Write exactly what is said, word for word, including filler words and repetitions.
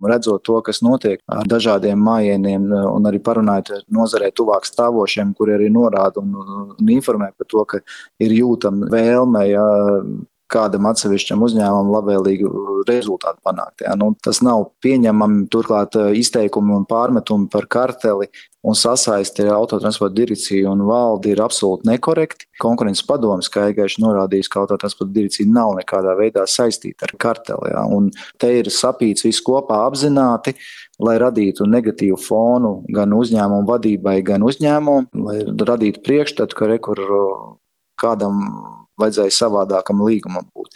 Redzot to, kas notiek ar dažādiem mājieniem un arī parunājot ar nozarē tuvāk stāvošiem, kuri arī norāda un, un informē par to, ka ir jūtama vēlme, ja, kādam atsevišķam uzņēmumam labvēlīgu rezultātu panākt. Ja. Nu, tas nav pieņemami, turklāt izteikumi un pārmetumi par karteli un sasaisti ar autotransporta direkciju un valdi ir absolūti nekorekti. Konkurences padomes skaidri norādījis, ka autotransporta direkcija nav nekādā veidā saistīta ar karteli. Ja. Un te ir sapīts viss kopā apzināti, lai radītu negatīvu fonu gan uzņēmumu vadībai, gan uzņēmumu, lai radītu priekšstatu, ka rekur kādam vajadzēja savādākam līgumam būt.